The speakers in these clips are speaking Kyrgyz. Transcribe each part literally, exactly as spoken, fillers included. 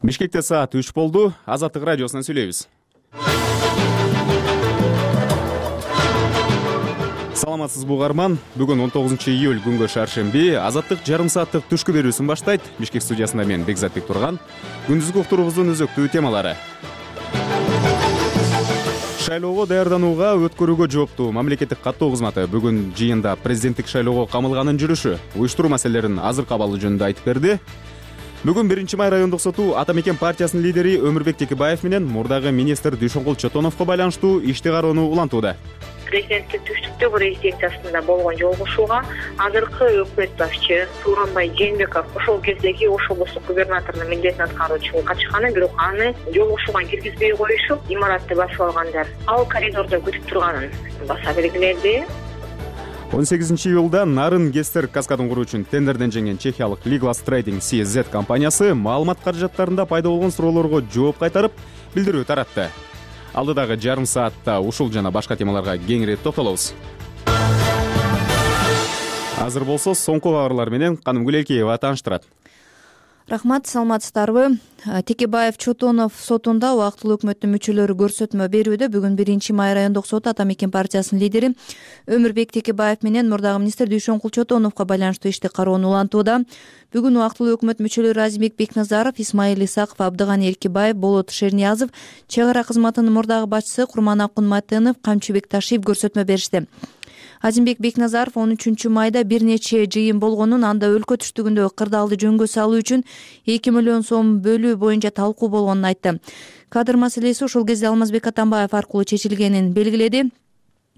Бишкекте саат үч болду. Азаттык радиосунан сүйлөйбүз. Саламатсызбы угарман. Бүгүн он тогузунчу июль күнгө шаршемби. Азаттык жарым сааттык түшкү берүүсүн баштайт. Бишкек студиясында мен Бекзатбек Турган. Күндүзгү уктуруубуздун өзөктүү темалары. Шайлоого даярданууга өткөрүүгө жооптуу мамлекеттик каттоо кызматы бүгүн жыйында президенттик шайлоого камылганын жүрүшү, уюштуруу маселелерин азыркы абалы жөнүндө айтып берди. Бүгүн биринчи май райондук соту Ата Мекен партиясынын лидери Өмүрбек Текебаев менен мурдагы министр Дүйшөнкул Чотоновго байланыштуу ишти кароону улантууда. Президенттик түштүктөгү резиденциясында болгон жолугушууга азыркы өкмөт башчы Тууганбай Жээнбеков ошол кездеги Ош облустук губернаторунун милдетин аткаруучу качканы, бирок аны жолугушууга киргизбей коюшуп, имаратты басып алгандар. Ал коридордо күтүп турганын баса белгиледи. он сегизинчи июлда Нарын Гестер каскадын куруу үчүн тендерден жеңген чехиялык Liglas Trading си эс зет компаниясы маалымат каражаттарында пайда болгон суроолорго жооп кайтарып, билдирүү таратты. Алдыдагы жарым саатта ушул жана башка темаларга кеңири токтолобуз. Азыр болсо соңку кабарлар менен Каным Гүлелкеева тааныштырат. Рахмат, саламатсыздарбы? Текебаев Чотонов сотунда убактылуу өкмөттүн мүчөлөрү көрсөтмө берүүдө бүгүн биринчи май райондук соту Ата Мекен партиясынын лидери Өмүрбек Текебаев менен мурдагы министр Дүйшөнкул Чотоновго байланыштуу ишти кароону улантууда. Бүгүн убактылуу өкмөт мүчөлөрү Азимбек Бекназаров, Исмаил Исаков, Абдыганы Эркибаев, Болот Шерниязов, чек ара кызматынын мурдагы башчысы Курманакун Матынов, Камчыбек Ташиев көрсөтмө беришти. Азимбек Бекназаров он үчүнчү майда бир нече жыйын болгонун, анда өлкө түштүгүндөгү кырдаалды жөнгө салуу үчүн эки миллион сом бөлүү боюнча талкуу болгонун айтты. Кадр маселеси ошол кезде Алмазбек Атамбаев аркылуу чечилгенин белгиледи.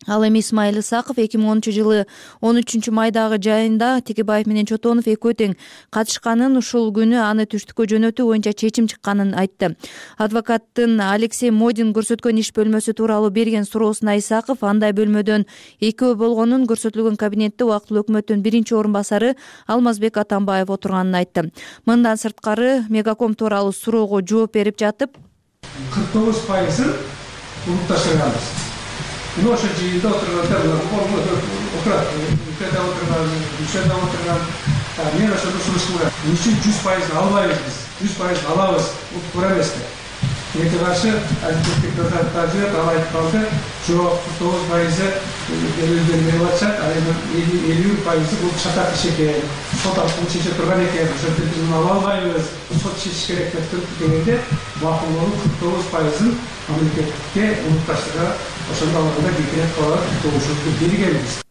Ал эми Исмаил Исаков эки миң онунчу жылы он үчүнчү майдагы жайында Текебаев менен Чотонов экөө тең катышканын, ушул күнү аны түштүккө жөнөтүү боюнча чечим чыкканын айтты. Адвокаттын Алексей Модин көрсөткөн иш бөлмөсү тууралуу берген суроосуна Исаков андай бөлмөдөн экөө болгонун, көрсөтүлгөн кабинетте убактылуу өкмөттүн биринчи орун басары Алмазбек Атамбаев отурганын айтты. Мындан сырткары Мегаком тууралуу суроого жооп берип жатып, кырк тогуз пайызын улутташтырганбыз. Ошол жыйында отургандар отурат, өлкөдө отурган, Дүйшөндө отурган, мен ошол ушунчу үчүн жүз пайызын албайбыз биз, жүз пайызын алабыз, бул туура эмеспи? Эки каршы адилеттик тазаттажы ал айтып калды, жок, кырк тогуз пайызы өздөрү берип атышат, ал эми элүү пайызы бул шатак иш экен, сот аркылуу чече турган экен, ошентип биз ала албайбыз, сот чечиш керек деп туруп дегенде, бакылоонун кырк тогуз пайызын мамлекетке улутташтырга ошондо алганда бекерет калат добушубузду бергенбиз.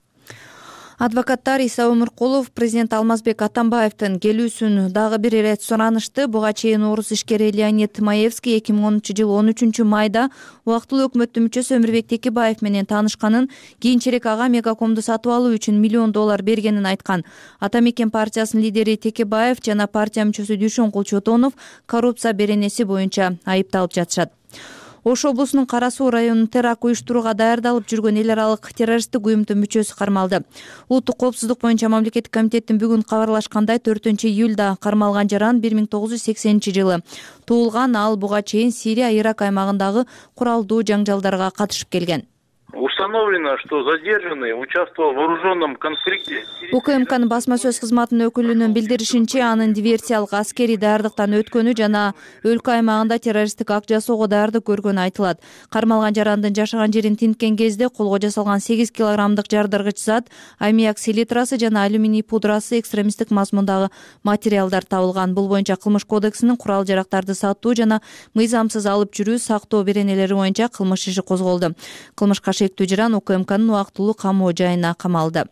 Адвокаттар Иса Өмүркулов президент Алмазбек Атамбаевдин келүүсүн дагы бир ирет суранышты. Буга чейин орус ишкери Леонид Маевский эки миң онунчу жылы он үчүнчү майда убактылуу өкмөттүн мүчөсү Өмүрбек Текебаев менен таанышканын, кийинчерээк ага Мегакомду сатып алуу үчүн миллион доллар бергенин айткан. Ата Мекен партиясынын лидери Текебаев жана партия мүчөсү Дүйшөнкул Чотонов коррупция беренеси боюнча айыпталып жатышат. Ош облусунун Кара Суу районунун теракт уюштурууга даярдалып жүргөн эл аралык террористтик уюмдун мүчөсү кармалды. Улуттук коопсуздук боюнча мамлекеттик комитеттин бүгүн кабарлашкандай төртүнчү июлда кармалган жаран бир миң тогуз жүз сексенинчи жылы туулган. Ал буга чейин Сирия, Ирак аймагындагы куралдуу жаңжалдарга катышып келген. Установлено, что задержанный участвовал в вооруженном конфликте. УКМКнын басма сөз кызматынын өкүлүнүн билдиришинче, анын диверсиялык аскерий даярдыктан өткөнү жана өлкө аймагында террористтик акт жасоого даярдык көргөнү айтылат. Кармалган жарандын жашаган жерин тинткен кезде колго жасалган сегиз килограммдык жардыргыч зат, аммиак селитрасы жана алюминий пудрасы, экстремисттик мазмундагы материалдар табылган. Бул боюнча Кылмыш кодексинин курал жарактарды сатуу жана мыйзамсыз алып жүрүү, сактоо беренелери боюнча кылмыш иши козголду. Кылмышка шектүү жаран УКМКнын убактылуу камоо жайына камалды.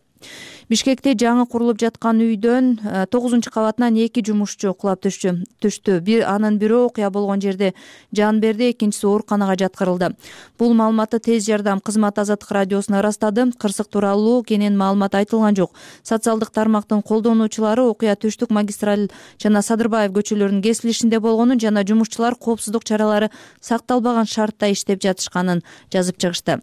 Бишкекте жаңы курулуп жаткан үйдөн тогузунчу кабатынан эки жумушчу кулап түштү. Түштү. Бир анын бирөө окуя болгон жерде жан берди, экинчиси ооруканага жаткырылды. Бул маалыматты тез жардам кызматы Азаттык радиосуна ырастады. Кырсык тууралуу кенен маалымат айтылган жок. Социалдык тармактын колдонуучулары окуя Түштүк магистраль жана Садырбаев көчөлөрүнүн кесилишинде болгонун жана жумушчулар коопсуздук чаралары сакталбаган шартта иштеп жатышканын жазып чыгышты.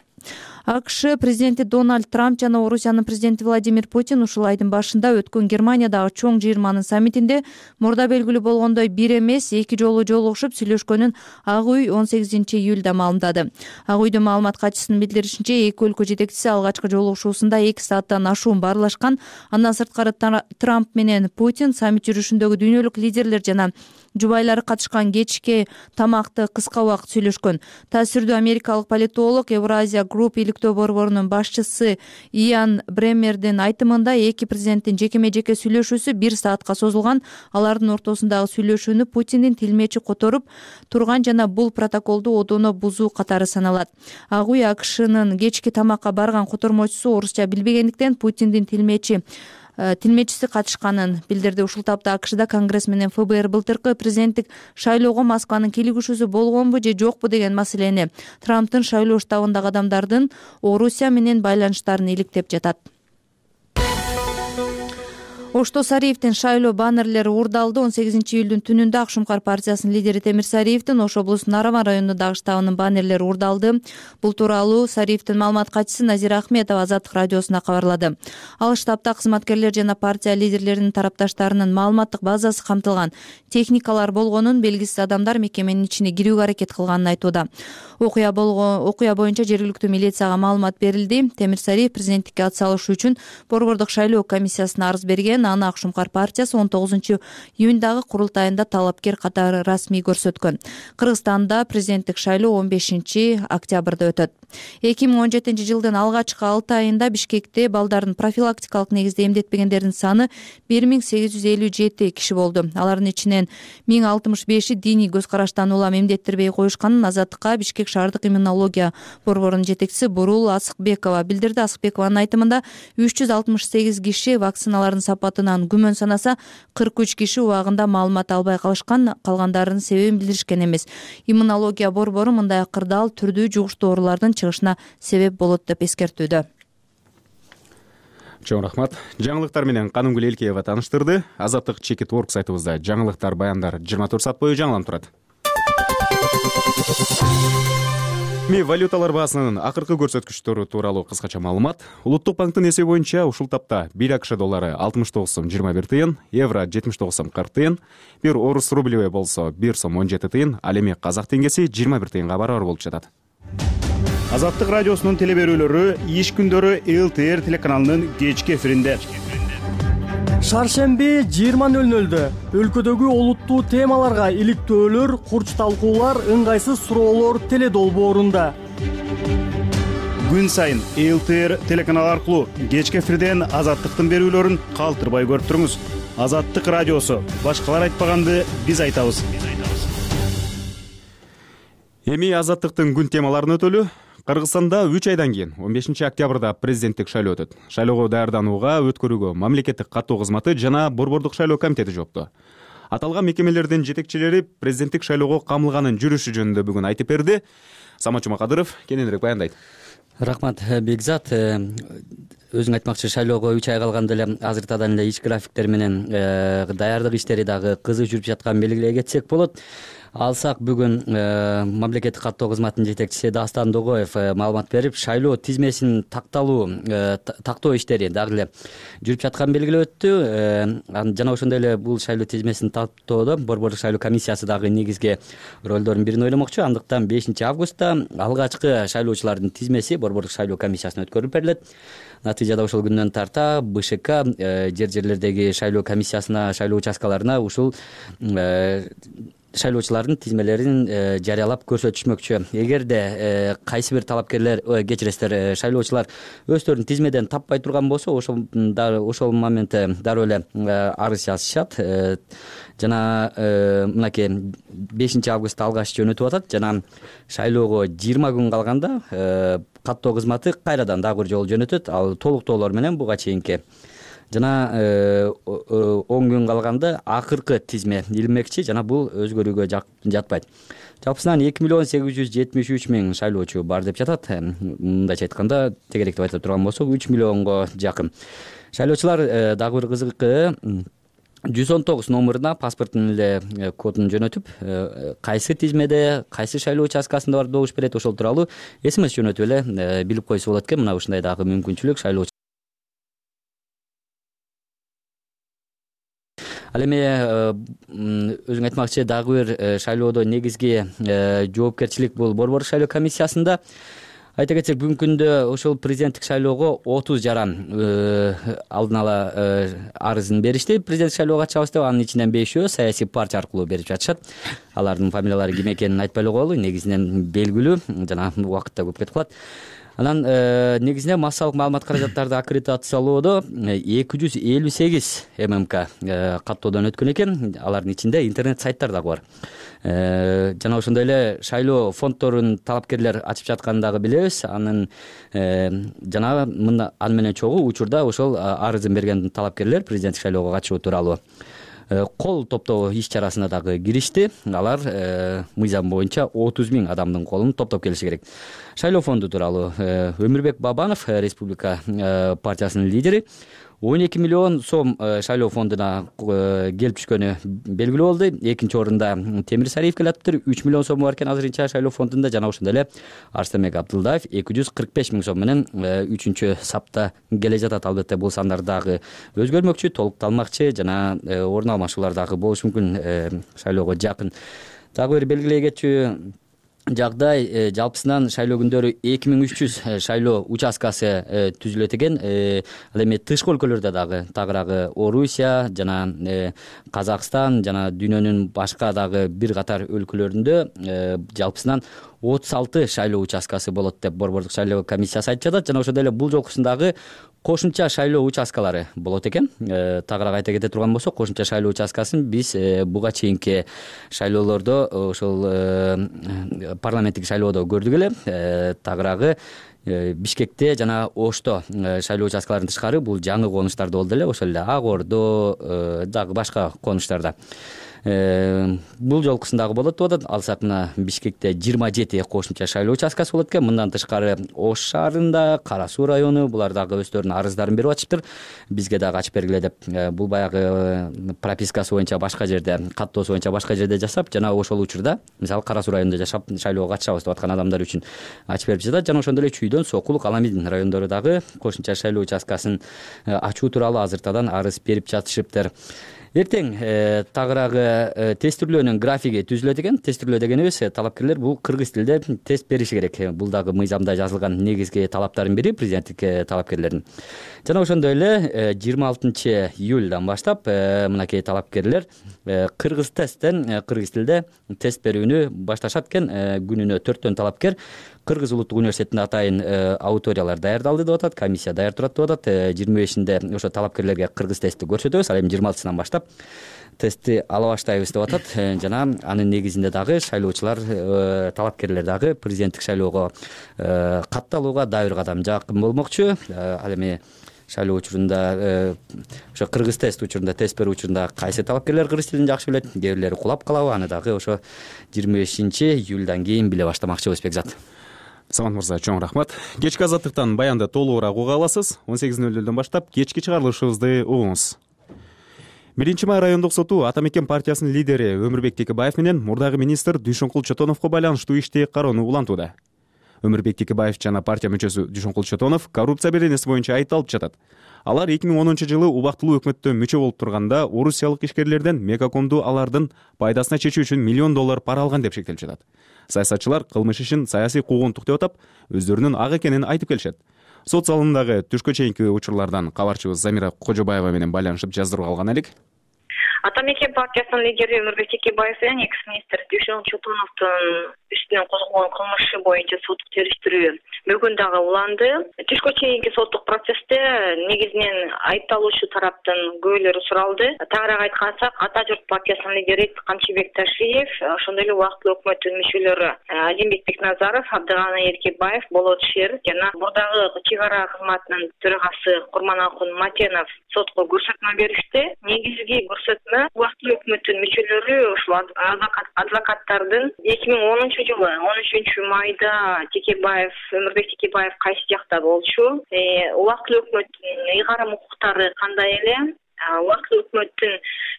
АКШ президенти Дональд Трамп жана Орусиянын президенти Владимир Путин ушул айдын башында өткөн Германиядагы чоң жыйырманын саммитинде мурда белгилүү болгондой бир эмес эки жолу жолугушуп сүйлөшкөнүн Ак үй он сегизинчи июлда маалымдады. Ак үйдүн маалымат катчысынын билдиришинче, эки өлкө жетекчиси алгачкы жолугушуусунда эки сааттан ашуун баарлашкан. Андан сырткары Трамп менен Путин саммит жүрүшүндөгү дүйнөлүк лидерлер жана жубайлары катышкан кечки тамакты кыска убакыт сүйлөшкөн. Таасирдүү америкалык политолог Евразия Групп иликтөө борборунун башчысы Иан Бремердин айтымында эки президенттин жекеме-жеке сүйлөшүүсү бир саатка созулган. Алардын ортосундагы сүйлөшүүнү Путиндин тилмечи которуп турган жана бул протоколду одоно бузуу катары саналат. Ак үй АКШнын кечки тамакка барган котормочусу орусча билбегендиктен Путиндин тилмечи тилмечиси катышканын билдирди. Ушул тапта АКШда Конгресс менен ФБР былтыркы президенттик шайлоого Москванын кийлигишүүсү болгонбу же жокпу деген маселени, Трамптын шайлоо штабындагы адамдардын Орусия менен байланыштарын иликтеп жатат. Ошто Сариевдин шайлоо баннерлери уурдалды. он сегизинчи июлдун түнүндө Ак Шумкар партиясынын лидери Темир Сариевдин Ош облусунун Нарыман районундагы штабынын баннерлери уурдалды. Бул тууралуу Сариевдин маалымат катчысы Назира Ахметова Азаттык радиосуна кабарлады. Ал штабта кызматкерлер жана партия лидерлеринин тарапташтарынын маалыматтык базасы камтылган, техникалар болгонун, белгисиз адамдар мекеменин ичине кирүүгө аракет кылганын айтууда. Окуя болгон окуя боюнча жергиликтүү милицияга маалымат берилди. Темир Сариев президенттикке ат салышы үчүн борбордук шайлоо комиссиясына арыз берген. Аны Ак Шумкар партиясы он тогузунчу июндагы курултайында талапкер катары расмий көрсөткөн. Кыргызстанда президенттик шайлоо он бешинчи октябрда өтөт. эки миң он жетинчи жылдын алгачкы алты айында Бишкекте балдардын профилактикалык негизде эмдетпегендердин саны бир миң сегиз жүз элүү жети киши болду. Алардын ичинен миң алтымыш беши диний көз караштан улам эмдеттирбей коюшканын Азаттыкка Бишкек шаардык иммунология борборунун жетекчиси Бурул Асыкбекова билдирди. Асыкбекованын айтымында үч жүз алтымыш сегиз киши вакциналардын сапатынан күмөн санаса, кырк үч киши убагында маалымат албай калышкан, калгандарынын себебин билдиришкен эмес. Иммунология борбору мындай кырдаал түрдүү жугуштуу оорулардын чыгышына себеп болот деп эскертүүдө. Чоң рахмат. Жаңылыктар менен Канымгүл Элкеева тааныштырды. Азаттык чекит орг сайтыбызда жаңылыктар, баяндар жыйырма төрт саат бою жаңыланып турат. Ми валюталар баасынын акыркы көрсөткүчтөрү тууралуу кыскача маалымат. Улуттук банктын эсеби боюнча ушул тапта бир АКШ доллары алтымыш тогуз сом жыйырма бир тыйын, евро жетимиш тогуз сом кырк тыйын, бир орус рублевый болсо бир сом он жети тыйын, ал эми казак теңгеси жыйырма бир тыйынга барабар болуп жатат. Азаттык радиосунун телеберүүлөрү иш күндөрү Эл Т Р телеканалынын кечки эфиринде. Шаршемби жыйырма нөл нөлдө өлкөдөгү олуттуу темаларга иликтөөлөр, курч талкуулар, ыңгайсыз суроолор теле долбоорунда. Күн сайын Эл Т Р телеканалы аркылуу кечки эфирден Азаттыктын берүүлөрүн калтырбай көрүп туруңуз. Азаттык радиосу, башкалар айтпаганды биз айтабыз. Эми Азаттыктын күн темаларын өтөлү. Кыргызстанда үч айдан кийин он бешинчи октябрда президенттик шайлоо өтөт. Шайлоого даярданууга, өткөрүүгө мамлекеттик каттоо кызматы жана борбордук шайлоо комитети жоопту. Аталган мекемелердин жетекчилери президенттик шайлоого камылганын жүрүшү жөнүндө бүгүн айтып берди. Самат Жумакадыров кененирээк баяндайт. Рахмат Бекзат. Өзүң айтмакчы, шайлоого үч ай калганда эле азыртадан эле иш графиктер менен даярдык иштери дагы кызык жүрүп жатканын белгилей кетсек болот. Алсак бүгүн мамлекеттик каттоо кызматынын жетекчиси Дастан Догоев маалымат берип, шайлоо тизмесин такталуу тактоо иштери дагы эле жүрүп жатканын белгилеп өттү. Жана ошондой эле бул шайлоо тизмесин тактоодо борбордук шайлоо комиссиясы дагы негизги ролдордун бирин ойломокчу. Андыктан бешинчи августта алгачкы шайлоочулардын тизмеси борбордук шайлоо комиссиясына өткөрүлүп берилет. Натыйжада ошол күндөн тарта Б Ш К жер жерлердеги шайлоо комиссиясына, шайлоо участкаларына ушул шайлоочулардын тизмелерин жарыялап көрсөтүшмөкчү. Эгерде кайсы бир талапкерлер, кечиресиздер, шайлоочулар өздөрүн тизмеден таппай турган болсо, ошол ошол моментте дароо эле арыз жазышат. Жана мынакей бешинчи августта алгач жөнөтүп атат жана шайлоого жыйырма күн калганда каттоо кызматы кайрадан дагы бир жолу жөнөтөт. Ал толуктоолор менен буга чейинки жана он күн калганда акыркы тизме илмекчи жана бул өзгөрүүгө жатпайт. Жалпысынан эки миллион сегиз жүз жетимиш үч миң шайлоочу бар деп жатат. Мындайча айтканда, тегеректеп айтып турган болсок, үч миллионго жакын. Шайлоочулар дагы бир кызыгы жүз он тогуз номуруна паспорттун эле кодун жөнөтүп, кайсы тизмеде, кайсы шайлоо участкасында барып добуш берет, ошол тууралуу смс жөнөтүп эле билип койсо болот экен. Мына ушундай дагы мүмкүнчүлүк шайлоо. Ал эми өзүң айтмакчы дагы бир шайлоодо негизги жоопкерчилик бул борбордук шайлоо комиссиясында. Айта кетсек, бүгүнкү күндө ошол президенттик шайлоого отуз жаран алдын ала арызын беришти. Президенттик шайлоого катышабыз деп, анын ичинен бешөө саясий партия аркылуу берип жатышат. Алардын фамилиялары ким экенин айтпай эле коелу, негизинен белгилүү, жана убакытта көп кетип калат. Анан негизинен массалык маалымат каражаттарды аккредитациялоодо эки жүз элүү сегиз ММК каттоодон өткөн экен. Алардын ичинде интернет сайттар дагы бар. Жана ошондой эле шайлоо фонддорун талапкерлер ачып жатканын дагы билебиз. Анын жана мында аны менен чогуу учурда ошол арызын берген талапкерлер президенттик шайлоого катышуу тууралуу кол топтоо иш чарасына дагы киришти. Алар мыйзам боюнча отуз миң адамдын колун топтоп келиши керек. Шайлоо фонду тууралуу Өмүрбек Бабанов, Республика партиясынын лидери, он эки миллион сом шайлоо фондуна келип түшкөнү белгилүү болду. Экинчи орунда Темир Сариев келатыптыр, үч миллион сому бар экен азырынча шайлоо фондунда. Жана ошондой эле Арстамек Абдылдаев эки жүз кырк беш миң сом менен үчүнчү сапта келе жатат. Албетте бул сандар дагы өзгөрмөкчү, толукталмакчы жана орун алмашуулар дагы болушу мүмкүн шайлоого жакын. Дагы бир белгилей кетчү жагдай, жалпысынан шайлоо күндөрү эки миң үч жүз шайлоо участкасы түзүлөт экен. Ал эми тышкы өлкөлөрдө дагы тагыраагы Орусия жана Казакстан жана дүйнөнүн башка дагы бир катар өлкөлөрүндө жалпысынан отуз алты шайлоо участкасы болот деп борбордук шайлоо комиссиясы айтып жатат. Жана ошондой эле бул жолкусундагы кошумча шайлоо участкалары болот экен. Тагыраак айта кете турган болсок, кошумча шайлоо участкасын биз буга чейинки шайлоолордо ошол парламенттик шайлоодо көрдүк эле. Тагыраагы Бишкекте жана Ошто шайлоо участкаларынан тышкары бул жаңы конуштарда болду эле, ошол эле Ак Ордо дагы башка конуштарда. Бул жолкусундагы болот деп атат. Алсак мына Бишкекте жыйырма жети кошумча шайлоо участкасы болот экен. Мындан тышкары Ош шаарында, Кара Суу району булар дагы өздөрүнүн арыздарын берип атышыптыр. Бизге дагы ачып бергиле деп. Бул баягы пропискасы боюнча башка жерде, каттоосу боюнча башка жерде жашап, жана ошол учурда мисалы Кара Суу районунда жашап шайлоого катышабыз деп аткан адамдар үчүн ачып берип жатат. Жана ошондой эле Чүйдөн, Сокул, Аламин райондору дагы кошумча шайлоо участкасын ачуу тууралуу азыртадан арыз берип жатышыптыр. Эртең тагыраагы тестирлөөнүн графиги түзүлөт экен. Тестирлөө дегенибиз талапкерлер бул кыргыз тилинде тест бериши керек. Бул дагы мыйзамда жазылган негизги талаптардын бири президенттик талапкерлердин. Жана ошондой эле жыйырма алтынчы июлдан баштап мынакей талапкерлер кыргыз тесттен кыргыз тилинде тест берүүнү башташат экен. Күнүнө төрттөн талапкер Кыргыз улуттук университетинде атайын аудиториялар даярдалды деп атат, комиссия даяр турат деп атат. жыйырма бешинде ошо талапкерлерге кыргыз тестти көрсөтөбүз. Ал эми жыйырма алтысынан баштап тестти ала баштайбыз деп атат. Жана анын негизинде дагы шайлоочулар, талапкерлер дагы президенттик шайлоого катталууга дагы бир кадам жакын болмокчу. Ал эми шайлоо учурунда ошо кыргыз тест учурунда, тест берүү учурунда кайсы талапкерлер кыргыз тилин жакшы билет, кээ бирлери кулап калабы, аны дагы ошо жыйырма бешинчи июлдан кийин биле баштамакчыбыз Бекзат. Самат мырза, чоң рахмат. Кечки азаттыктан баянды толугураак уга аласыз. он сегиз нөл нөлдөн баштап кечки чыгарылышыбызды угуңуз. Биринчи май райондук соту Атамекен партиясынын лидери Өмүрбек Текебаев менен мурдагы министр Дүйшөнкул Чотоновго байланыштуу ишти кароону улантууда. Өмүрбек Текебаев жана партия мүчөсү Дүйшөнкул Чотонов коррупция беренеси боюнча айыпталып жатат. Алар эки миң онунчу жылы убактылуу өкмөттө мүчө болуп турганда орусиялык ишкерлерден Мегакомду алардын пайдасына чечүү үчүн миллион доллар пара алган деп шектелип жатат. Саясатчылар кылмыш ишин саясий куугунтук деп атап, өздөрүнүн ак экенин айтып келишет. Сот залындагы түшкө чейинки учурлардан кабарчыбыз Замира Кожобаева менен байланышып жаздырып алган элек. Атамекен партиясынын лидери Өмүрбек Текебаев менен экс-министр Дүйшөнкул Чотоновдун үстүнөн козголгон кылмыш иши боюнча соттук териштирүү бүгүн дагы уланды. Түшкө чейинки соттук процессте негизинен айыпталуучу тараптын күбөлөрү суралды. Тагыраак айткансак, Ата журт партиясынын лидери Камчыбек Ташиев, ошондой эле убактылуу өкмөттүн мүчөлөрү Азимбек Бекназаров, Абдыганы Эркебаев, Болот Шер жана бурдагы чек ара кызматынын төрагасы Курманалкун Матенов сотко көрсөтмө беришти. Негизги көрсөтмө убактылуу өкмөттүн мүчөлөрү ушул адвокаттардын эки миң онунчу жылы он үчүнчү майда Текебаев, Өмүрбек Текебаев кайсы жакта болчу, убактылуу өкмөттүн ыйгарым укуктары кандай эле, убактылуу өкмөттүн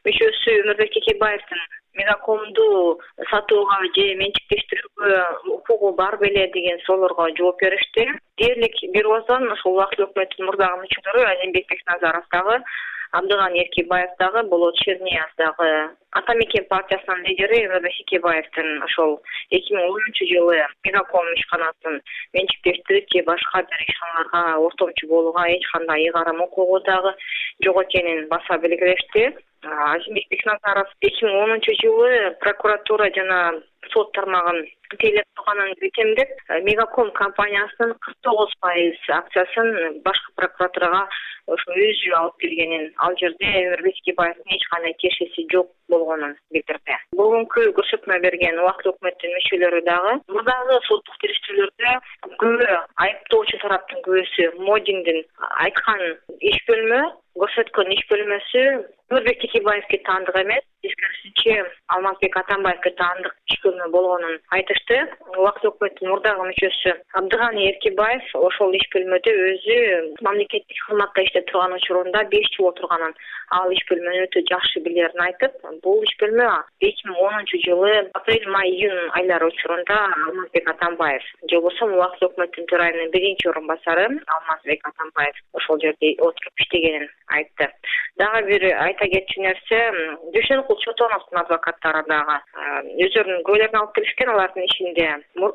мүчөсү Өмүрбек Текебаевдин Мегакомду сатууга же менчиктештирүүгө укугу бар беле деген суроолорго жооп беришти. Дээрлик бирөөдөн ошол убактылуу өкмөттүн мурдагы мүчөлөрү Азимбек Бекназаров дагы, Абдыган Эркебаев дагы, Болот Чернияз дагы Ата Мекен партиясынын лидери Өмүрбек Текебаевдин ошол эки миң онунчу жылы Мегаком ишканасын менчиктештирип же башка бир ишканаларга ортомчу болууга эч кандай ыйгарым укугу дагы жок экенин баса белгилешти. Азимбек Бекназаров эки миң онунчу жылы прокуратура жана сот тармагын тейлеп турганын бекемдеп, Мегаком компаниясынын кырк тогуз пайыз акциясын башкы прокуратурага ошо өзү алып келгенин, ал жерде Өмүрбек Текебаевдин эч кандай тиешеси жок болгонун билдирди. Бүгүнкү көрсөтмө берген убактылуу өкмөттүн мүчөлөрү дагы мурдагы соттук териштирүүлөрдө күбө, айыптоочу тараптын күбөсү Модиндин айткан иш бөлмө, көрсөткөн иш бөлмөсү Өмүрбек Текебаевге таандык эмес, тескерисинче Алмазбек Атамбаевге таандык иш бөлмө болгонун айтышты. Убактылуу өкмөттүн мурдагы мүчөсү Абдыган Эркебаев ошол иш бөлмөдө өзү мамлекеттик кызматта иштеп турган учурунда беш жыл отурганын, ал иш бөлмөнү өтө жакшы билерин айтып, бул иш бөлмө эки миң онунчу жылы апрель, май, июнь айлары учурунда Алмазбек Атамбаев же болбосо убактылуу өкмөттүн төрайымынын биринчи орун басары Алмазбек Атамбаев ошол жерде отуруп иштегенин айтты. Дагы бир айта кетчү нерсе, Дүйшөнкул Чотоновдун адвокаттары дагы өздөрүнүн күбөлөрүн алып келишкен. Алардын ишинде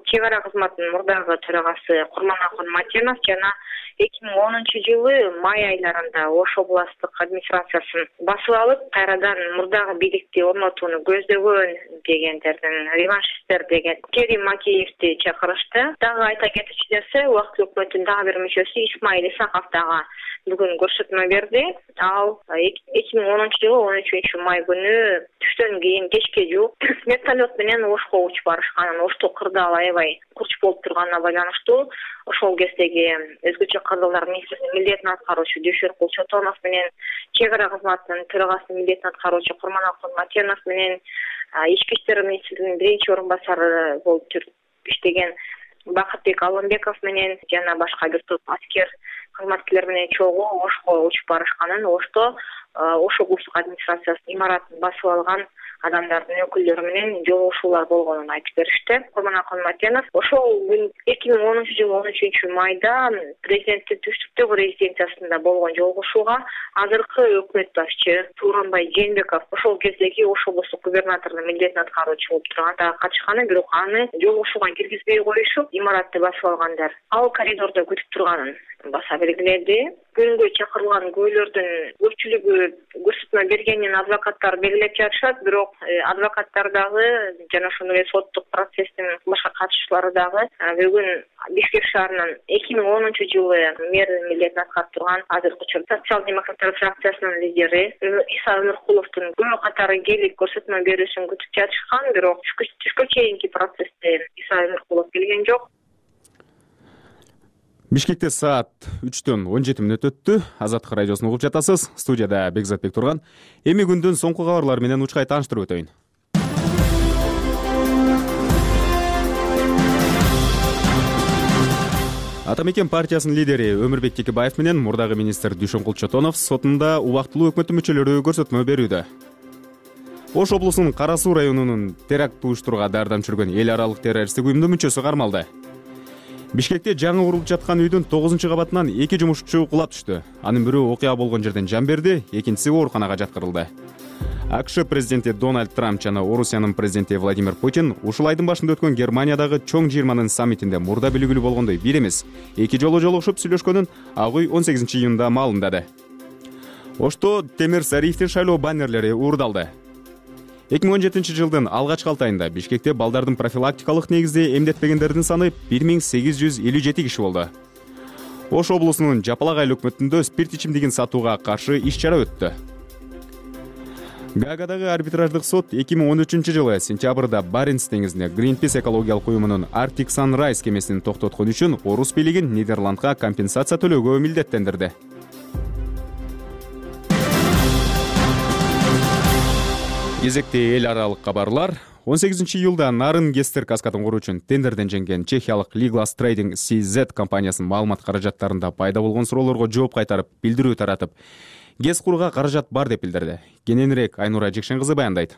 чек ара кызматынын мурдагы төрагасы Курманакул Матенов жана эки миң онунчу жылы май айларында Ош областтык администрациясын басып алып, кайрадан мурдагы бийликти орнотууну көздөгөн дегендердин реваншисттер деген Керим Макеевди чакырышты. Дагы айта кетчү нерсе, убактылуу өкмөттүн дагы бир мүчөсү Исмаил Исаков дагы бүгүн көрсөтмө берди. Ал эки миң онунчу жылы он үчүнчү май күнү түштөн кийин кечке жууп вертолет менен Ошко учуп барышканын, Ошто кырдаал аябай курч болуп турганына байланыштуу ошол кездеги өзгөчө кырдаалдар министринин милдетин аткаруучу Дүйшөнкул Чотонов менен чек ара кызматынын төрагасынын милдетин аткаруучу Курманакул Матенов менен ички иштер министринин биринчи орун басары болуп иштеген Бакытбек Алымбеков менен жана башка бир топ аскер кызматкерлер менен чогуу Ошко учуп барышканын, Ошто Ош облустук администрациясынын имаратын басып алган адамдардын өкүлдөрү менен жолугушуулар болгонун айтып беришти. Курманакул Матенов ошол эки миң онунчу жылы он үчүнчү майда президенттин түштүктөгү резиденциясында болгон жолугушууга азыркы өкмөт башчы Тууранбай Жээнбеков ошол кездеги Ош облустук губернаторунун милдетин аткаруучу болуп турганда катышканын, бирок аны жолугушууга киргизбей коюшуп, имаратты басып алгандар ал коридордо күтүп турганын баса белгиледи. Күнгө чакырылган күбөлөрдүн көпчүлүгү көрсөтмө бергенин адвокаттар белгилеп жатышат, бирок адвокаттар дагы жана ошондой эле соттук процесстин башка катышуучулары дагы бүгүн Бишкек шаарынын эки миң онунчу жылы мэр милдетин аткарып турган азыркы учурда социал-демократтар фракциясынын лидери Иса Өмүркуловдун күбө катары келип көрсөтмө берүүсүн күтүп жатышкан, бирок түшкө чейинки процессте Иса Өмүркулов келген жок. Бишкекте саат үчтөн он жети мүнөт өттү. Азаттык радиосун угуп жатасыз. Студияда Бекзат Бектурган. Эми күндүн соңку кабарлар менен учкай тааныштырып өтөйүн. Ата Мекен партиясынын лидери Өмүрбек Текебаев менен мурдагы министр Дүйшөнкул Чотонов сотунда убактылуу өкмөттүн мүчөлөрү көрсөтмө берүүдө. Ош облусунун Кара Суу районунун теракт уюштурууга дардам жүргөн эл аралык террористтик уюмдун мүчөсү кармалды. Бишкекте жаңы курулуп жаткан үйдүн тогузунчу кабатынан эки жумушчу кулап түштү. Анын бирөө окуя болгон жерден жан берди, экинчиси ооруканага жаткырылды. АКШ президенти Дональд Трамп жана Орусиянын президенти Владимир Путин ушул айдын башында өткөн Германиядагы чоң жыйырманын саммитинде мурда белгилүү болгондой бир эмес, эки жолу жолугушуп сүйлөшкөнүн Ак үй он сегизинчи июнда маалымдады. Ошто Темир Сариевдин шайлоо баннерлери уурдалды. эки миң он жетинчи жылдын алгачкы алты айында Бишкекте балдардын профилактикалык негизде эмдетпегендердин саны бир миң сегиз жүз элүү жети киши болду. Ош облусунун Жапалак айыл өкмөтүндө спирт ичимдигин сатууга каршы иш-чара өттү. Гаагадагы арбитраждык сот эки миң он үчүнчү жылы сентябрда Баренц деңизинде Greenpeace экологиялык уюмунун Arctic Sunrise кемесин токтоткон үчүн орус бийлигин Нидерландга компенсация төлөөгө милдеттендирди. Кезекте эл аралык кабарлар. он сегизинчи июлда нарын Гестер каскадын куруу үчүн тендерден жеңген чехиялык Liglas Trading си зет компаниясынын маалымат каражаттарында пайда болгон суроолорго жооп кайтарып, билдирүү таратып, гэс курууга каражат бар деп билдирди. Кененирээк Айнура Жекшен кызы баяндайт.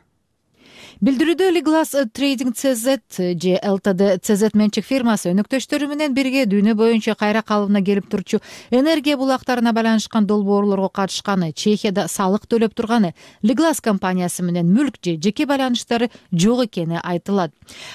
Билдирүүдө Liglas Trading си зет же эл ти ди си зет менчик фирмасы өнөктөштөрү менен бирге дүйнө боюнча кайра калыбына келип турчу энергия булактарына байланышкан долбоорлорго катышканы, Чехияда салык төлөп турганы, Liglas компаниясы менен мүлк же жеке байланыштары жок экени айтылат.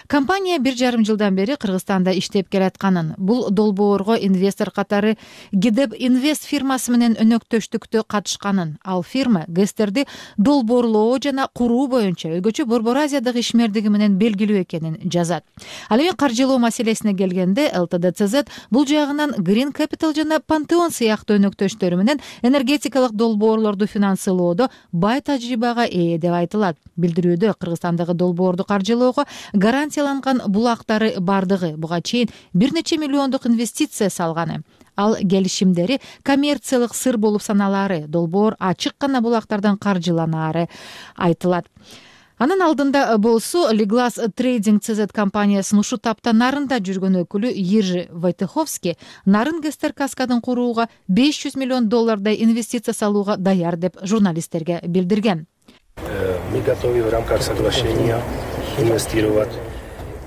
Компания бир жарым жылдан бери Кыргызстанда иштеп келатканын, бул долбоорго инвестор катары Гидеп Инвест фирмасы менен өнөктөштүктө катышканын, ал фирма гэстерди долбоорлоо жана куруу боюнча өзгөчө Борбор Азиядагы ишмердиги менен белгилүү экенин жазат. Ал эми каржылоо маселесине келгенде эл ти ди си зет бул жагынан Green Capital жана Pantheon сыяктуу өнөктөштөрү менен энергетикалык долбоорлорду финансылоодо бай тажрыйбага ээ деп айтылат. Билдирүүдө Кыргызстандагы долбоорду каржылоого гарантияланган булактары бардыгы буга чейин бир нече миллиондук инвестиция салганы. Ал келишимдери коммерциялык сыр болуп саналары, долбоор ачык гана булактардан каржыланаары айтылат. Анын алдында болсо Liglas Trading си зет компаниясынын ушул тапта нарында жүргөн өкүлү Ержи Войтеховский нарын гэстер каскадын курууга беш жүз миллион доллардай инвестиция салууга даяр деп журналисттерге билдирген. Мы готовы в рамках соглашения инвестировать.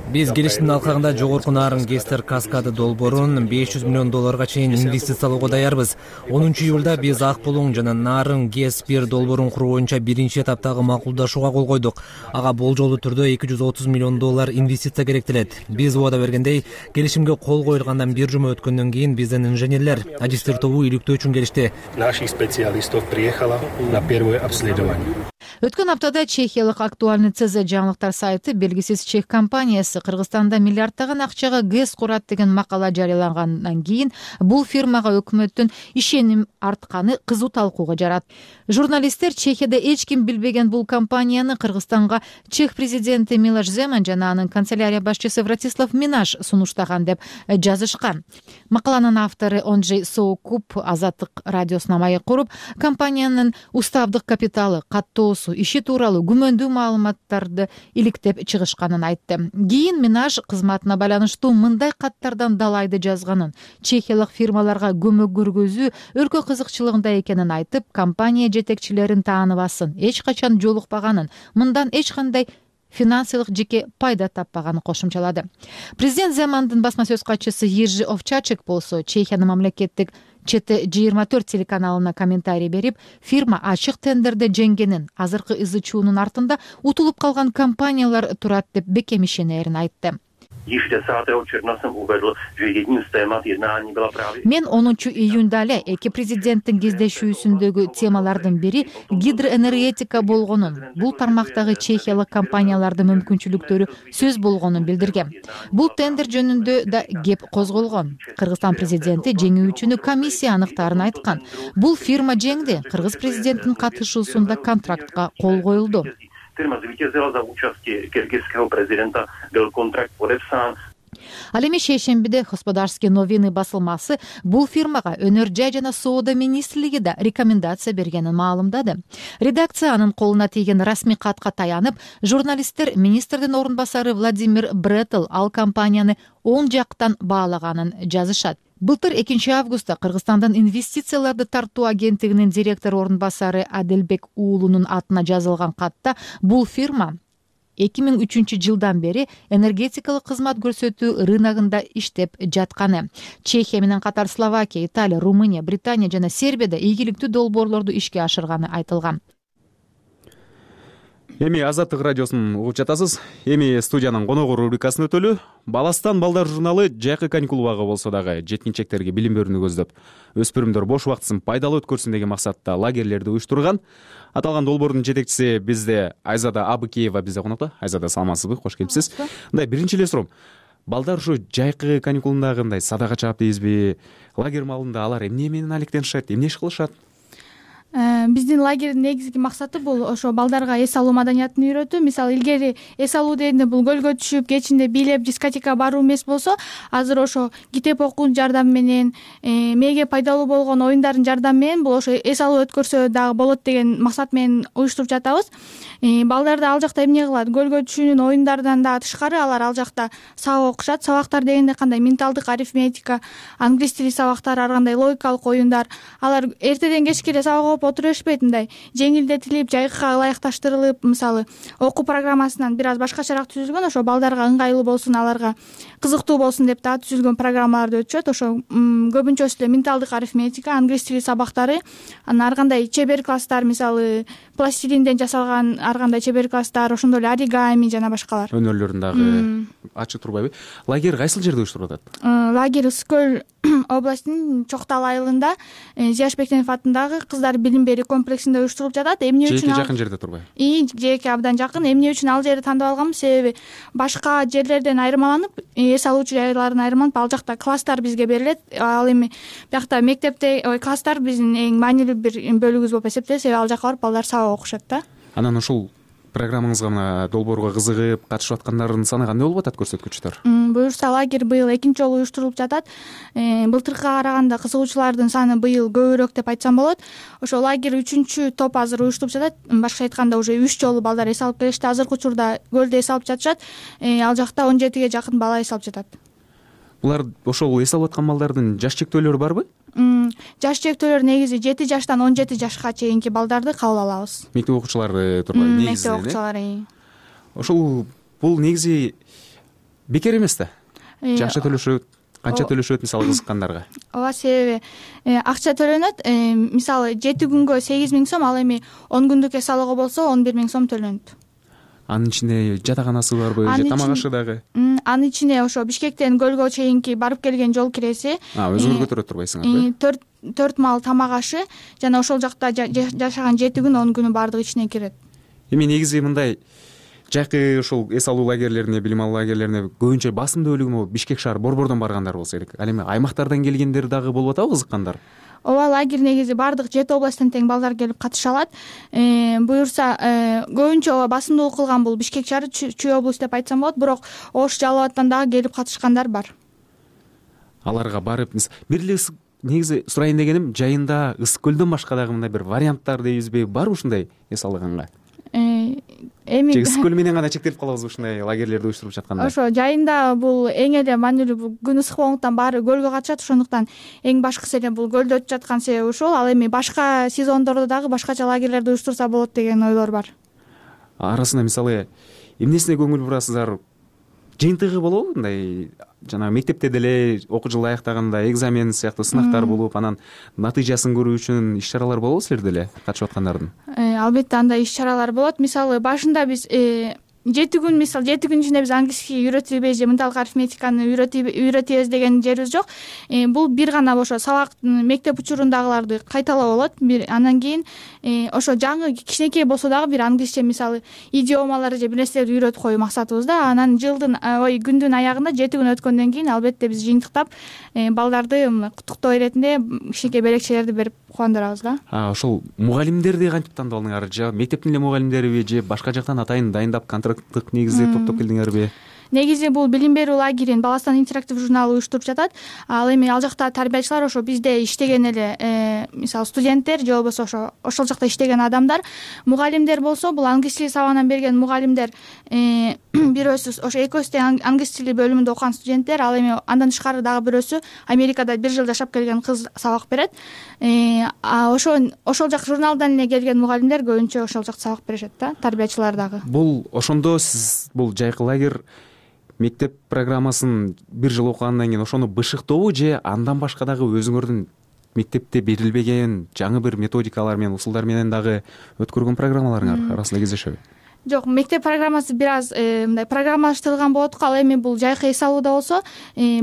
Биз келиштин алкагында жогорку нарын гэстер каскады долбоорун беш жүз миллион долларга чейин инвестициялоого даярбыз. онунчу июлда биз Ак Булуң жана нарын гэс бир долбоорун куруу боюнча биринчи этаптагы макулдашууга кол койдук. Ага болжолдуу түрдө эки жүз отуз миллион доллар инвестиция керектелет. Биз убада бергендей, келишимге кол коюлгандан бир жума өткөндөн кийин биздин инженерлер ажистер тобу иликтөө үчүн келишти. Наших специалистов приехало на первое обследование. Өткөн аптада чехиялык актуальный си зет жаңылыктар сайты белгисиз чех компаниясы Кыргызстанда миллиарддаган акчага гэс курат деген макала жарыялагандан кийин бул фирмага өкмөттүн ишеним артканы кызуу талкууга жарат. Журналисттер Чехияда эч ким билбеген бул компанияны Кыргызстанга чех президенти Милош Земан жана анын канцелярия башчысы Вратислав Минаш сунуштаган деп жазышкан. Макаланын автору Онжей Соокуп Азаттык радиосуна маек куруп, компаниянын уставдык капиталы, каттоосу, иши тууралуу күмөндүү маалыматтарды иликтеп чыгышканын айтты. Кийин Минаш кызматына байланыштуу мындай каттардан далайды жазганын, чехиялык фирмаларга көмөк көргөзүү өлкө кызыкчылыгында экенин айтып, компания жетекчилерин тааныбасын, эч качан жолукпаганын, мындан эч кандай финансылык жеке пайда таппаганын кошумчалады. Президент Земандын басма сөз катчысы Ержи Овчачек болсо Чехиянын мамлекеттик Чете жыйырма төрт телеканалына комментарий берип, фирма ачык тендерде жеңгенин, азыркы ызы чуунун артында утулуп калган компаниялар турат деп бекем ишенерин айтты. Мен онунчу июнда эле эки президенттин кездешүүсүндөгү темалардын бири гидроэнергетика болгонун, бул тармактагы чехиялык компаниялардын мүмкүнчүлүктөрү сөз болгонун билдирген. Бул тендер жөнүндө да кеп козголгон. Кыргызстан президенти жеңүүчүнү комиссия аныктаарын айткан. Бул фирма жеңди. Кыргыз президентинин катышуусунда контрактка кол коюлду. Фирма zvítězila za účasti киргизского президента, был контракт подписан. Ал эми шейшембиде Господарские новины басылмасы бул фирмага өнөр жай жана соода министрлиги да рекомендация бергенин маалымдады. Редакция анын колуна тийген расмий катка таянып, журналисттер министрдин орун басары Владимир Бретл ал компанияны оң жактан баалаганын жазышат. Былтыр экинчи августта Кыргызстандан инвестицияларды тартуу агенттигинин директор орун басары Аделбек уулунун атына жазылган катта бул фирма эки миң үчүнчү жылдан бери энергетикалык кызмат көрсөтүү рыногунда иштеп жатканы. Чехия менен катар Словакия, Италия, Румыния, Британия жана Сербияда ийгиликтүү долбоорлорду ишке ашырганы айтылган. Эми Азаттык радиосун угуп жатасыз. Эми студиянын коногу рубрикасын өтөлү. Баластан балдар журналы жайкы каникул убагы болсо дагы жеткинчектерге билим берүүнү көздөп, өспүрүмдөр бош убактысын пайдалуу өткөрсүн деген максатта лагерлерди уюштурган. Аталган долбоордун жетекчиси бизде Айзада Абыкеева бизде конокто. Айзада, саламатсызбы? Кош келипсиз. Мындай биринчи эле суроом. Балдар ушу жайкы каникулунда кандай садага чаап дейсизби? Лагерь маалында алар эмне менен алектенишет, эмне иш кылышат? Биздин лагердин негизги максаты бул ошо балдарга эс алуу маданиятын үйрөтүү. Мисалы илгери эс алуу дегенде бул көлгө түшүп, кечинде бийлеп, дискотекага баруу эмес болсо, азыр ошо китеп окуунун жардамы менен, мээге пайдалуу болгон оюндардын жардамы менен бул ошо эс алуу өткөрсө дагы болот деген максат менен уюштуруп жатабыз. Балдар да ал жакта эмне кылат? Көлгө түшүүнүн оюндарынан да тышкары алар ал жакта сабак окушат. Сабактар дегенде кандай? Менталдык арифметика, англис тили сабактары, ар кандай логикалык оюндар. Алар эртеден кечке эле сабак калып отура беришпейт, мындай жеңилдетилип, жайга ылайыкташтырылып, мисалы окуу программасынан бир аз башкачараак түзүлгөн, ошо балдарга ыңгайлуу болсун, аларга кызыктуу болсун деп да түзүлгөн программаларды өтүшөт. Ошо көбүнчөсү эле менталдык арифметика, англис тили сабактары, анан ар кандай чебер класстар, мисалы пластилинден жасалган ар кандай чебер класстар, ошондой эле оригами жана башкалар. Өнөрлөрүн дагы ачып турбайбы? Лагерь кайсыл жерде уюштурулуп атат? Лагерь Ысык көл областынын Чоктал айылында Зияш Бектенов атындагы кыздар билим берүү комплексинде уюштурулуп жатат. Эмне үчүн? Жээкке жакын жерде турбайбы? И жээкке абдан жакын. Эмне үчүн ал жерди тандап алганбыз? Себеби башка жерлерден айырмаланып, эс алуучу жайлардан айырмаланып, ал жакта класстар бизге берилет. Ал эми биякта мектепте класстар биздин эң маанилүү бир бөлүгүбүз болуп эсептелет. Себеби ал жака барып балдар сабак окушат да. Анан ушул программаңызга мына долбоорго кызыгып катышып аткандардын саны кандай болуп атат, көрсөткүчтөр? Буюрса лагерь быйыл экинчи жолу уюштурулуп жатат. Былтыркыга караганда кызыгуучулардын саны быйыл көбүрөөк деп айтсам болот. Ошо лагерь үчүнчү топ азыр уюштурулуп жатат. Башкача айтканда уже үч жолу балдар эс алып келишти. Азыркы учурда көлдө эс алып жатышат. Ал жакта он жетиге жакын бала эс алып жатат. Булар ошол эс алып аткан балдардын жаш чектөөлөрү барбы? Жаш чектөөлөр негизи жети жаштан он жети жашка чейинки балдарды кабыл алабыз. Мектеп окуучулары турбайбы негизи? Мектеп окуучулары. Ошол бул негизи бекер эмес да. Жакшы төлөшөт, канча төлөшөт мисалы кызыккандарга? Ооба, себеби акча төлөнөт. Мисалы жети күнгө сегиз миң сом, ал эми он күндүк эс алууга болсо он бир миң сом төлөнөт. Анын ичинде жатаканасы барбы, же тамак ашы дагы? Анын ичине ошо Бишкектен көлгө чейинки барып келген жол киреси. Өзүңөр көтөрө турбайсыңарбы? төрт төрт маал тамак ашы жана ошол жакта жашаган жети күн он күнү баардыгы ичине кирет. Эми негизи мындай жайкы ошол эс алуу лагерлерине, билим алуу лагерлерине көбүнчө басымдуу бөлүгү Бишкек шаар борбордон баргандар болсо керек. Ал эми аймактардан келгендер дагы болуп атабы, кызыккандар? Ооба, лагерь негизи баардык жети областтан тең балдар келип катыша алат. Буюрса көбүнчө ооба басымдуулук кылган бул Бишкек шаары, Чүй облусу деп айтсам болот, бирок Ош, Жалал абадтан дагы келип катышкандар бар. Аларга барып, бир эле негизи сурайын дегеним, жайында Ысык көлдөн башка дагы мындай бир варианттар дейбизби, барбы ушундай эс алганга? Эми Ысык көл менен гана чектелип калабыз ушундай лагерлерди уюштуруп жатканда? Ошо жайында бул эң эле маанилүү, күн ысык болгондуктан баары көлгө катышат, ошондуктан эң башкысы эле бул көлдө өтүп жаткан себеби ушул. Ал эми башка сезондордо дагы башкача лагерлерди уюштурса болот деген ойлор бар. Арасында мисалы эмнесине көңүл бурасыздар? Жыйынтыгы болобу? Мындай жана мектепте деле окуу жылы аяктаганда экзамен сыяктуу сынактар болуп, анан натыйжасын көрүү үчүн иш-чаралар болобу силерде эле катышып аткандардын? Албетте андай иш-чаралар болот. Мисалы башында биз жети күн, мисалы жети күн ичинде биз английский үйрөтүбүз же менталдык арифметиканы үйрөтөбүз деген жерибиз жок. Бул бир гана ошо сабак мектеп учурундагыларды кайталоо болот. Бир андан кийин ошо жаңы кичинекей болсо дагы бир англисче, мисалы идиомалар же бир нерселерди үйрөтүп коюу максатыбыз да. Анан жылдын ой күндүн аягында жети күн өткөндөн кийин албетте биз жыйынтыктап балдарды куттуктоо иретинде кичинекей белекчелерди берип кубандырабыз да. Ошол мугалимдерди кантип тандап алдыңар? Же мектептин эле мугалимдериби, же башка жактан атайын дайындап контракттык негизде топтоп келдиңерби? Негизи бул билим берүү лагерин Баластан интерактив журналы уюштуруп жатат. Ал эми ал жакта тарбиячылар ошо бизде иштеген эле мисалы студенттер же болбосо ошо ошол жакта иштеген адамдар. Мугалимдер болсо бул англис тили сабагынан берген мугалимдер бирөөсү ошо экөөсү тең англис тили бөлүмүндө окуган студенттер. Ал эми андан тышкары дагы бирөөсү Америкада бир жыл жашап келген кыз сабак берет. Ошо ошол жак журналдан эле келген мугалимдер көбүнчө ошол жакта сабак беришет да, тарбиячылар дагы. Бул ошондо сиз бул жайкы лагерь мектеп программасын бир жыл окугандан кийин ошону бышыктообу, же андан башка дагы өзүңөрдүн мектепте берилбеген жаңы бир методикалар менен, усулдар менен дагы өткөргөн программаларыңар арасында кездешеби? Жок, мектеп программасы бир аз мындай программалаштырылган болот. Ал эми бул жайкы эс алууда болсо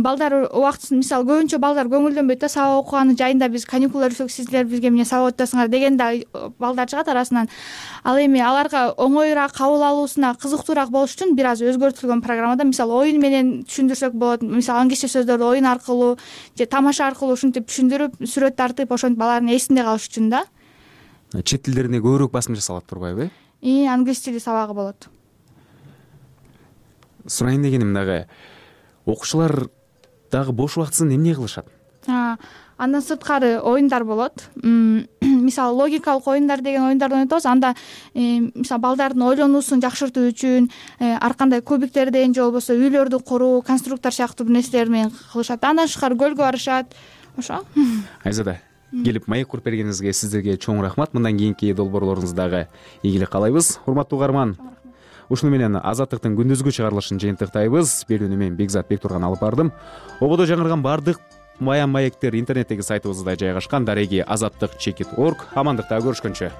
балдар убактысын, мисалы көбүнчө балдар көңүлдөнбөйт да, сабак окуганы жайында биз каникулдар өтсөк сиздер бизге эмне сабак өтөсүңөр деген да балдар чыгат арасынан. Ал эми аларга оңоюраак кабыл алуусуна кызыктуураак болуш үчүн бир аз өзгөртүлгөн программада, мисалы оюн менен түшүндүрсөк болот. Мисалы англисче сөздөрдү оюн аркылуу же тамаша аркылуу ушинтип түшүндүрүп, сүрөт тартып, ошентип балардын эсинде калыш үчүн да. Чет тилдерине көбүрөөк басым жасалат турбайбы? И англис тили сабагы болот. Сурайын дегеним дагы, окуучулар дагы бош убактысын эмне кылышат? Андан сырткары оюндар болот. Мисалы логикалык оюндар деген оюндардан өтөбүз. Анда мисалы балдардын ойлонуусун жакшыртуу үчүн ар кандай кубиктерден же болбосо үйлөрдү куруу, конструктор сыяктуу бир нерселер менен кылышат. Андан тышкары көлгө барышат. Ошо. Айзада, келип маек куруп бергениңизге сиздерге чоң рахмат. Мындан кийинки долбоорлоруңуз дагы ийгилик каалайбыз. Урматтуу угарман, ушуну менен Азаттыктын күндүзгү чыгарылышын жыйынтыктайбыз. Берүүнү мен Бекзат Бектурган алып бардым. Ободо жаңырган бардык мая маектер интернеттеги сайтыбызда жайгашкан. Дареги азаттык чекит точка орг. Амандыкта көрүшкөнчө.